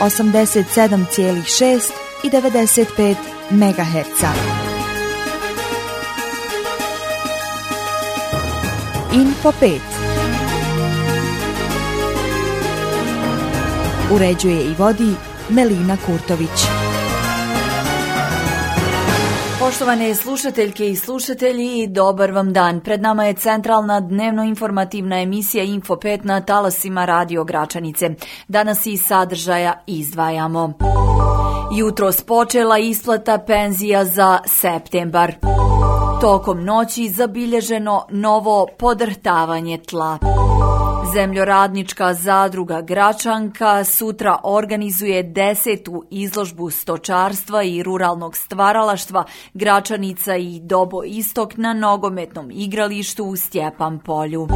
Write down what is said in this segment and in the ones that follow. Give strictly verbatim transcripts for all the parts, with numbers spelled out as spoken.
osamdeset sedam zarez šest i devedeset pet megaherca. Info pet uređuje i vodi Melina Kurtović. Poštovane slušateljke i slušatelji, dobar vam dan. Pred nama je centralna dnevno-informativna emisija Info pet na talasima Radio Gračanice. Danas iz sadržaja izdvajamo. Jutros počela isplata penzija za septembar. Tokom noći zabilježeno novo podrhtavanje tla. Zemljoradnička zadruga Gračanka sutra organizuje desetu izložbu stočarstva i ruralnog stvaralaštva Gračanica i Dobo Istok na nogometnom igralištu u Stjepan polju.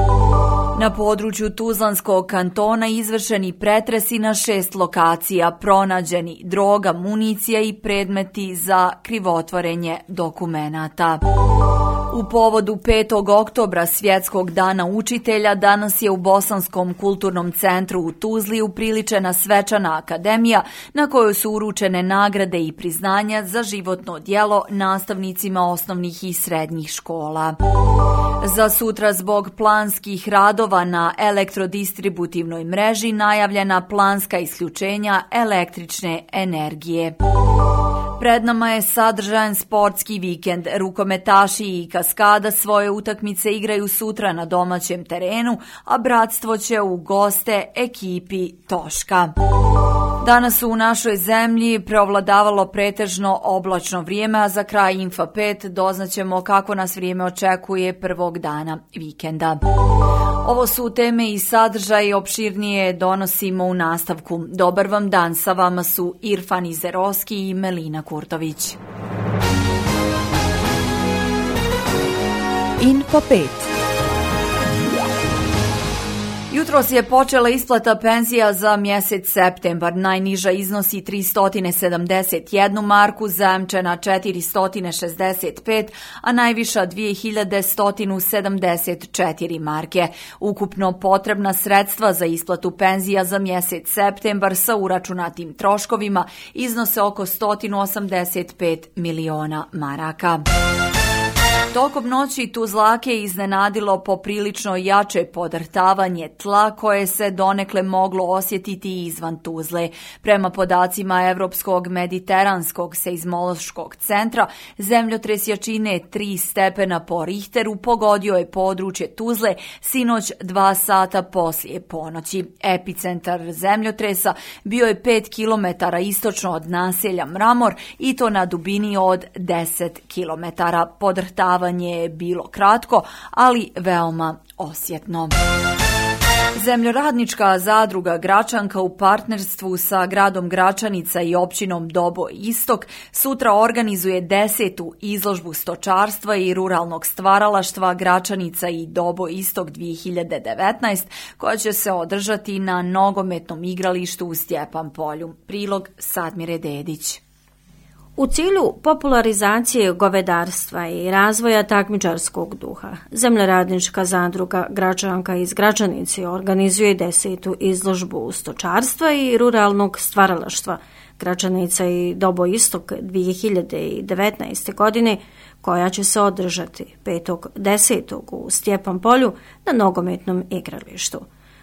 Na području Tuzlanskog kantona izvršeni pretresi na šest lokacija, pronađeni droga, municija i predmeti za krivotvorenje dokumenata. U povodu petog oktobra, Svjetskog dana učitelja, danas je u Bosanskom kulturnom centru u Tuzli upriličena svečana akademija na kojoj su uručene nagrade i priznanja za životno djelo nastavnicima osnovnih i srednjih škola. Za sutra zbog planskih radova na elektrodistributivnoj mreži najavljena planska isključenja električne energije. Pred nama je sadržajan sportski vikend. Rukometaši i Kaskada svoje utakmice igraju sutra na domaćem terenu, a Bratstvo će u goste ekipi Toška. Danas su u našoj zemlji preovladavalo pretežno oblačno vrijeme, a za kraj Info pet doznaćemo kako nas vrijeme očekuje prvog dana vikenda. Ovo su teme i sadržaje, opširnije donosimo u nastavku. Dobar vam dan, sa vama su Irfan Izerovski i Melina Kurtović. Info pet. Jutros je počela isplata penzija za mjesec septembar. Najniža iznosi tristo sedamdeset jednu marku, zajamčena četiristo šezdeset pet, a najviša dvije hiljade sto sedamdeset četiri marke. Ukupno potrebna sredstva za isplatu penzija za mjesec septembar sa uračunatim troškovima iznose oko sto osamdeset pet miliona maraka. Tokom noći Tuzlake je iznenadilo poprilično jače podrhtavanje tla koje se donekle moglo osjetiti izvan Tuzle. Prema podacima Evropskog mediteranskog seizmološkog centra, zemljotres jačine tri stepena po Richteru pogodio je područje Tuzle sinoć dva sata poslije ponoći. Epicentar zemljotresa bio je pet kilometara istočno od naselja Mramor i to na dubini od deset kilometara. Podrhtavanje je bilo kratko, ali veoma osjetno. Zemljoradnička zadruga Gračanka u partnerstvu sa gradom Gračanica i općinom Dobo Istok sutra organizuje desetu izložbu stočarstva i ruralnog stvaralaštva Gračanica i Dobo Istok dvije hiljade devetnaest, koja će se održati na nogometnom igralištu u Stjepan polju. Prilog Sadmire Dedić. U cilju popularizacije govedarstva i razvoja takmičarskog duha, Zemljoradnička zadruga Gračanka iz Gračanice organizuje desetu izložbu stočarstva i ruralnog stvaralaštva Gračanica i Dobo Istok dvije hiljade devetnaeste. godine, koja će se održati petog desetog u Stjepan polju na nogometnom igralištu.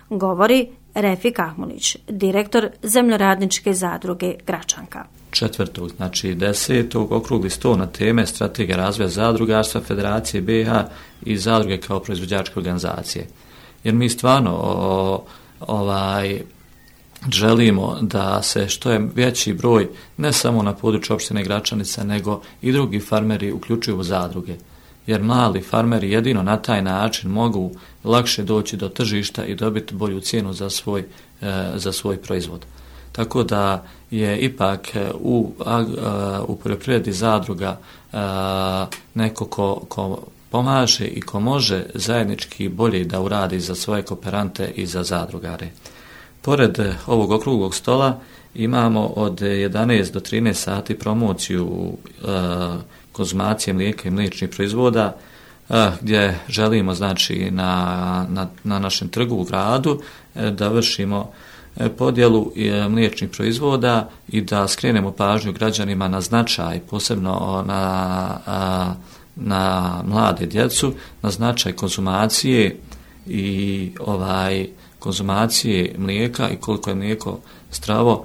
Govori Refik Ahmulić, direktor Zemljoradničke zadruge Gračanka. Četvrtog, znači desetog, okrugli sto na teme strategija razvoja zadrugarstva Federacije B i H i zadruge kao proizvođačke organizacije. Jer mi stvarno o, ovaj, želimo da se što je veći broj, ne samo na području opštine Gračanica, nego i drugi farmeri uključuju u zadruge. Jer mali farmeri jedino na taj način mogu lakše doći do tržišta i dobiti bolju cijenu za svoj, e, za svoj proizvod. Tako da je ipak u, u poljoprivredi zadruga neko ko, ko pomaže i ko može zajednički bolje da uradi za svoje kooperante i za zadrugare. Pored ovog okruglog stola imamo od jedanaest do trinaest sati promociju konzumacije mlijeka i mliječnih proizvoda, gdje želimo znači na, na, na našem trgu u gradu da vršimo podjelu mliječnih proizvoda i da skrenemo pažnju građanima na značaj, posebno na, na mlade djecu, na značaj konzumacije i ovaj konzumacije mlijeka i koliko je mlijeko zdravo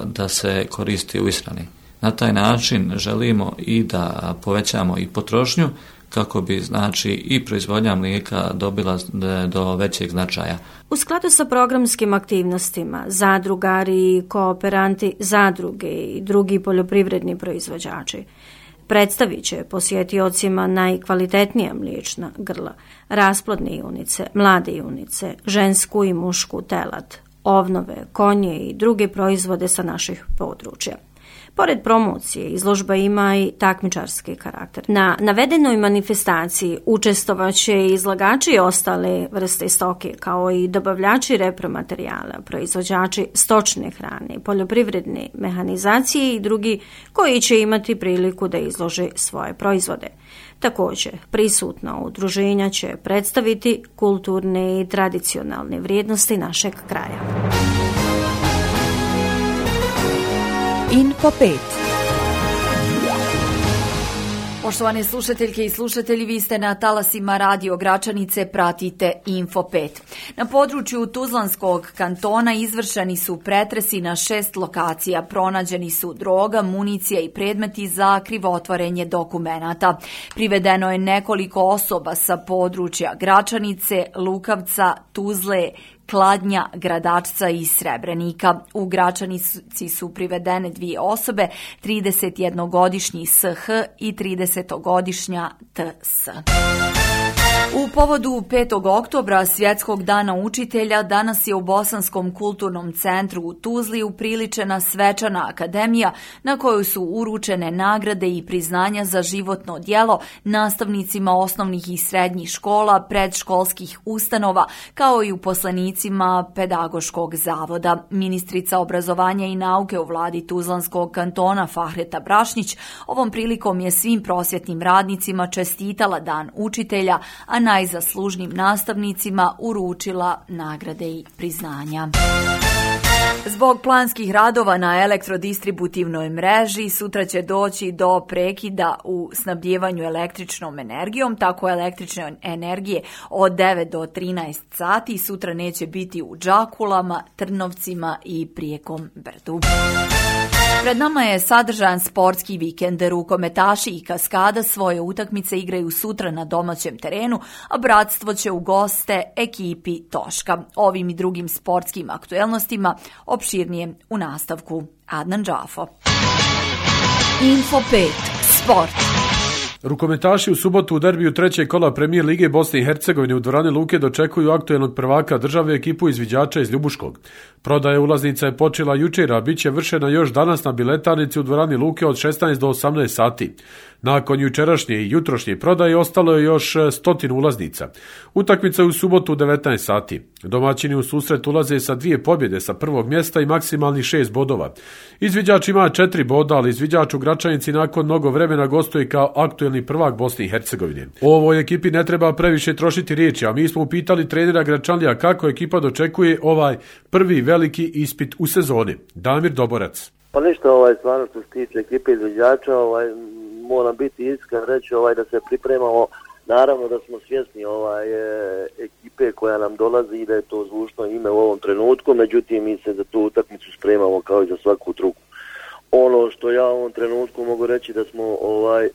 da se koristi u ishrani. Na taj način želimo i da povećamo i potrošnju kako bi znači i proizvodnja mlijeka dobila do većeg značaja. U skladu sa programskim aktivnostima, zadrugari, kooperanti, zadruge i drugi poljoprivredni proizvođači predstavit će posjetiocima najkvalitetnija mliječna grla, rasplodne junice, mlade junice, žensku i mušku telad, ovnove, konje i druge proizvode sa naših područja. Pored promocije, izložba ima i takmičarski karakter. Na navedenoj manifestaciji učestvovaće i izlagači ostale vrste stoke, kao i dobavljači repromaterijala, proizvođači stočne hrane, poljoprivredne mehanizacije i drugi koji će imati priliku da izlože svoje proizvode. Također, prisutna udruženja će predstaviti kulturne i tradicionalne vrijednosti našeg kraja. Info pet. Poštovane slušateljke i slušatelji, vi ste na talasima Radio Gračanice, pratite Info pet. Na području Tuzlanskog kantona izvršeni su pretresi na šest lokacija. Pronađeni su droga, municija i predmeti za krivotvorenje dokumenata. Privedeno je nekoliko osoba sa područja Gračanice, Lukavca, Tuzle, Kladnja, Gradačca i Srebrenika. U Gračanici su privedene dvije osobe, tridesetjednogodišnji S H i tridesetogodišnja T S. U povodu petog oktobra, Svjetskog dana učitelja, danas je u Bosanskom kulturnom centru u Tuzli upriličena svečana akademija na kojoj su uručene nagrade i priznanja za životno djelo nastavnicima osnovnih i srednjih škola, predškolskih ustanova, kao i uposlenicima pedagoškog zavoda. Ministrica obrazovanja i nauke u vladi Tuzlanskog kantona Fahreta Brašnić ovom prilikom je svim prosvjetnim radnicima čestitala Dan učitelja, a najzaslužnijim nastavnicima uručila nagrade i priznanja. Zbog planskih radova na elektrodistributivnoj mreži sutra će doći do prekida u snabdjevanju električnom energijom, tako električne energije od devet do trinaest sati sutra neće biti u Đakulama, Trnovcima i Prijekom Brdu. Pred nama je sadržajan sportski vikend. Rukometaši i Kaskada svoje utakmice igraju sutra na domaćem terenu, a Bratstvo će u goste ekipi Toška. Ovim i drugim sportskim aktuelnostima opširnije u nastavku. Adnan Džafo. Info pet. Sport. Rukometaši u subotu u derbiju trećeg kola Premijer Lige Bosne i Hercegovine u dvorani Luke dočekuju aktuelnog prvaka države ekipu izviđača iz Ljubuškog. Prodaja ulaznica je počela jučer, a bit će vršena još danas na biletarnici u dvorani Luke od šesnaest do osamnaest sati. Nakon jučerašnje i jutrošnje prodaje ostalo je još stotinu ulaznica. Utakmica je u subotu u devetnaest sati. Domaćini u susret ulaze sa dvije pobjede sa prvog mjesta i maksimalnih šest bodova. Izviđač ima četiri boda, ali izviđač u Gračanici nakon mnogo vremena gostuje kao aktuelni prvak Bosne i Hercegovine. O ovoj ekipi ne treba previše trošiti riječi, a mi smo upitali trenera Gračanlija kako ekipa dočekuje ovaj prvi veliki ispit u sezoni. Damir Doborac. Pa ništa, ovaj, stvarno što se tiče ekipe izviđača, ovaj, moram biti iskren reći ovaj, da se pripremamo. Naravno da smo svjesni ovaj, e, ekipe koja nam dolazi i da je to zvučno ime u ovom trenutku, međutim mi se za tu utakmicu spremamo kao i za svaku drugu. Ono što ja u ovom trenutku mogu reći da smo ovaj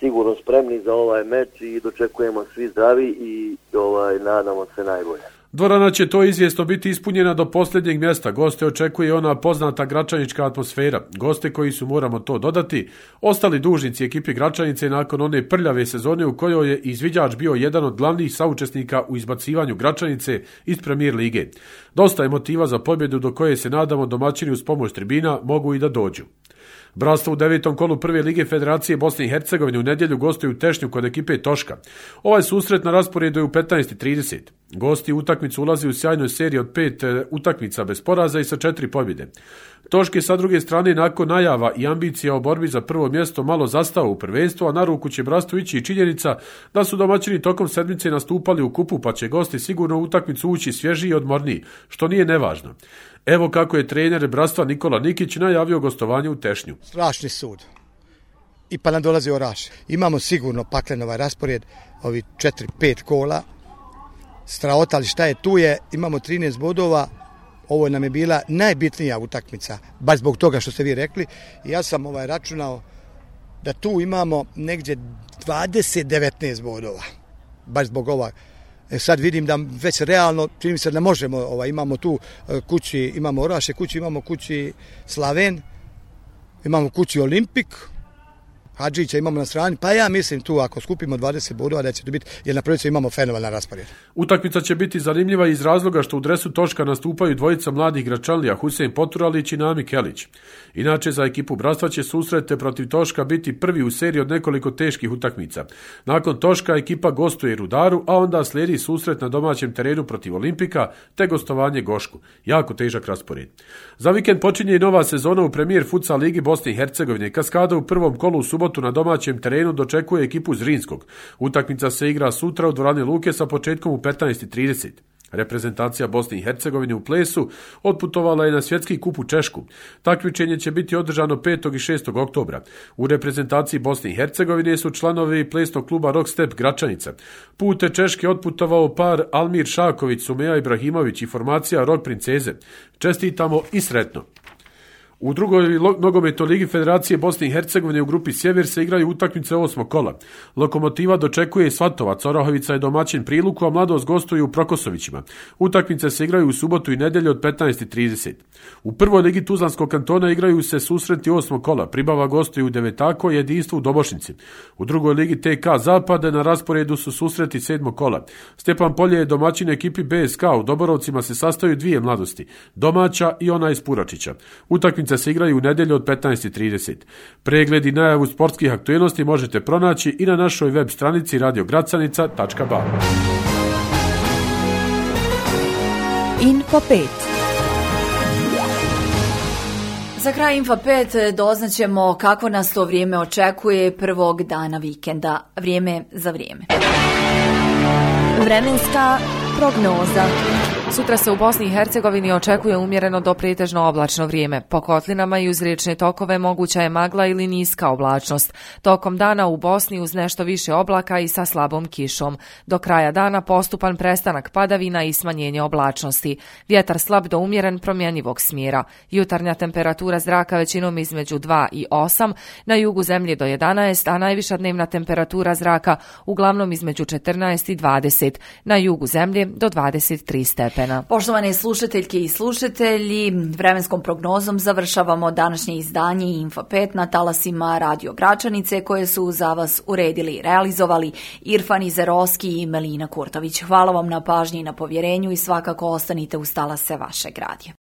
sigurno spremni za ovaj meč i dočekujemo svi zdravi i ovaj nadamo se najbolje. Dvorana će to izvjesno biti ispunjena do posljednjeg mjesta. Goste očekuje ona poznata gračanička atmosfera. Goste koji su, moramo to dodati, ostali dužnici ekipi Gračanice nakon one prljave sezone u kojoj je izviđač bio jedan od glavnih saučesnika u izbacivanju Gračanice iz Premijer Lige. Dosta je motiva za pobjedu do koje se nadamo domaćini uz pomoć tribina mogu i da dođu. Bratstvo u devetom kolu prve lige Federacije Bosne i Hercegovine u nedjelju gostuju u Tešnju kod ekipe Toška. Ovaj susret na rasporedu je u petnaest i trideset. Gosti utakmicu ulazi u sjajnoj seriji od pet utakmica bez poraza i sa četiri pobjede. Toške sa druge strane nakon najava i ambicija o borbi za prvo mjesto malo zastao u prvenstvu, a na ruku će Bratstvu ići i činjenica da su domaćini tokom sedmice nastupali u kupu, pa će gosti sigurno u utakmicu ući svježiji i odmorniji, što nije nevažno. Evo kako je trener Bratstva Nikola Nikić najavio gostovanje u Tešnju. Strašni sud. I pa nam dolazi Oraš. Imamo sigurno paklen ovaj raspored, ovi četiri pet kola. Straota, ali šta je tu je, imamo trinaest bodova. Ovo nam je bila najbitnija utakmica, baš zbog toga što ste vi rekli. Ja sam ovaj računao da tu imamo negdje dvadeset devetnaest bodova, baš zbog ova. E sad vidim da već realno, čini mi se da možemo, ovaj, imamo tu kući, imamo Oraše kući, imamo kući Slaven, imamo kući Olimpik, Hadžića imamo na strani, pa ja mislim tu ako skupimo dvadeset bodova da će to biti, jer na prvenstvu imamo fenomenalan raspored. Utakmica će biti zanimljiva iz razloga što u dresu Toška nastupaju dvojica mladih Gračanlija, Husein Poturalić i Nami Kelić. Inače, za ekipu Bratstva će susrete protiv Toška biti prvi u seriji od nekoliko teških utakmica. Nakon Toška ekipa gostuje Rudaru, a onda slijedi susret na domaćem terenu protiv Olimpika, te gostovanje Gošku. Jako težak raspored. Za vikend počinje i nova sezona u Premier Futsal Ligi Bosne i Hercegovine. Kaskada u prvom kolu u subotu na domaćem terenu dočekuje ekipu Zrinskog. Utakmica se igra sutra u dvorani Luke sa početkom u petnaest i trideset. Reprezentacija Bosne i Hercegovine u plesu otputovala je na svjetski kup u Češku. Takmičenje će biti održano petog i šestog oktobra. U reprezentaciji Bosne i Hercegovine su članovi plesnog kluba Rock Step Gračanica. Pute Češke otputovao par Almir Šaković, Sumeja Ibrahimović i formacija Rock Princeze. Čestitamo i sretno! U drugoj nogometnoj ligi Federacije Bosne i Hercegovine u grupi Sjever se igraju utakmice osmog kola. Lokomotiva dočekuje Svatovac, Orahovica je domaćin Priluku, a Mladost gostuju u Prokosovićima. Utakmice se igraju u subotu i nedjelju od petnaest i trideset. U prvoj ligi Tuzlanskog kantona igraju se susreti osmog kola. Pribava gostuju u Devetako i Jedinstvo u Dobošnici. U drugoj ligi T K Zapade na rasporedu su susreti sedmog kola. Stepan Polje je domaćin ekipi B S K, u Doborovcima se sastaju dvije Mladosti, domaća i ona iz Puračića. Utakmice se igraju u nedjelju od petnaest i trideset. Pregled i najavu sportskih aktualnosti možete pronaći i na našoj web stranici radio gracanica tačka ba. Info pet. Za kraj Info pet doznaćemo kako nas to vrijeme očekuje prvog dana vikenda. Vrijeme za vrijeme. Vremenska prognoza. Sutra se u Bosni i Hercegovini očekuje umjereno do pretežno oblačno vrijeme. Po kotlinama i uz riječne tokove moguća je magla ili niska oblačnost. Tokom dana u Bosni uz nešto više oblaka i sa slabom kišom. Do kraja dana postupan prestanak padavina i smanjenje oblačnosti. Vjetar slab do umjeren promjenjivog smjera. Jutarnja temperatura zraka većinom između dva i osam, na jugu zemlje do jedanaest, a najviša dnevna temperatura zraka uglavnom između četrnaest i dvadeset, na jugu zemlje do dvadeset tri stepena. Poštovane slušateljke i slušatelji, vremenskom prognozom završavamo današnje izdanje Info pet na talasima Radio Gračanice koje su za vas uredili i realizovali Irfan Izeroski i Melina Kurtović. Hvala vam na pažnji i na povjerenju i svakako ostanite uz talase vašeg radija.